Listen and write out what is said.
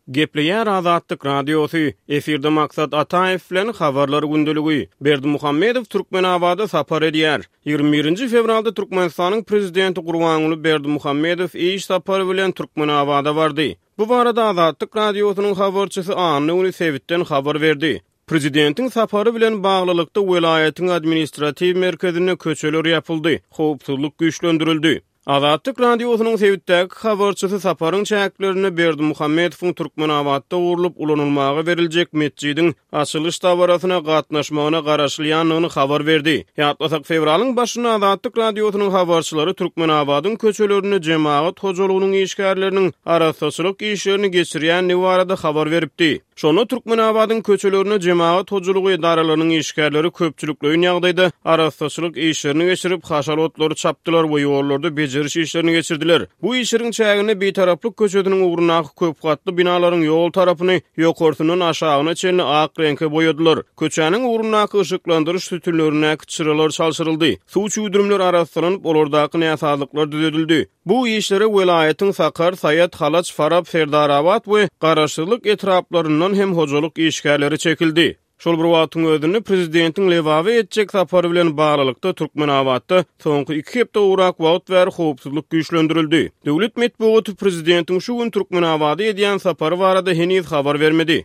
Gepleýär Azatlyk Radiosy, efirde Maksat Ataýew bilen Habarlar gündeligi. Berdimuhamedow Türkmenabada sapar edýär. 21-nji fewralda Türkmenistanyň Prezidenti Gurbanguly Berdimuhamedow iş sapary bilen Türkmenabada bardy. Bu barada Azatlyk Radiosynyň habarçysy anna güni sebitden habar berdi. Prezidentiň sapary bilen baglylykda welaýatyň administratiw merkezinde köçeler ýapyldy, howpsuzlyk güýçlendirildi. Azatlyk Radiosynyň sebitdäki habarçysy saparyň çäklerinde Berdimuhamedowyň Türkmenabatda gurlup ulanylmaga beriljek metjidiň açylyş dabarasyna gatnaşmagyna garaşylýandygyny habar berdi. Ýatlasak, fewralyň başynda Azatlyk Radiosynyň habarçylary Türkmenabadyň köçelerinde jemagat hojalygynyň işgärleriniň arassaçylyk işlerini geçirýändigi barada habar beripdi. Şonda Türkmenabadyň köçelerinde jemagat hojalygy edaralarynyň işgärleri köpçülikleýin ýagdaýda arassaçylyk işlerini geçirip, haşal otlary çapdylar we ýollarda bejeriş işlerini geçirdiler. Bu işleriň çäginde Bitaraplyk köçesiniň ugrundaky köp gatly binalaryň ýol tarapyny ýokarsyndan aşagyna çenli ak reňke boýadylar. Köçäniň ugrundaky yşyklandyryş sütünlerindäki çyralar çalşyryldy. Suw çüwdürimleri arassalanyp, olardaky näsazlyklar düzedildi. Bu işlere welaýatyň Sakar, Saýat, Halaç, Farap, Serdarabat we Garaşsyzlyk etraplaryndan hem hojalyk işgärleri çekildi. Şol bir wagtyň özünde, prezidentiň Lebaba etjek sapary bilen baglylykda, Türkmenabatda soňky iki hepde gowrak wagt bäri howpsuzlyk güýçlendirildi. Döwlet metbugaty prezidentiň şu gün Türkmenabada edýän sapary barada heniz habar bermedi.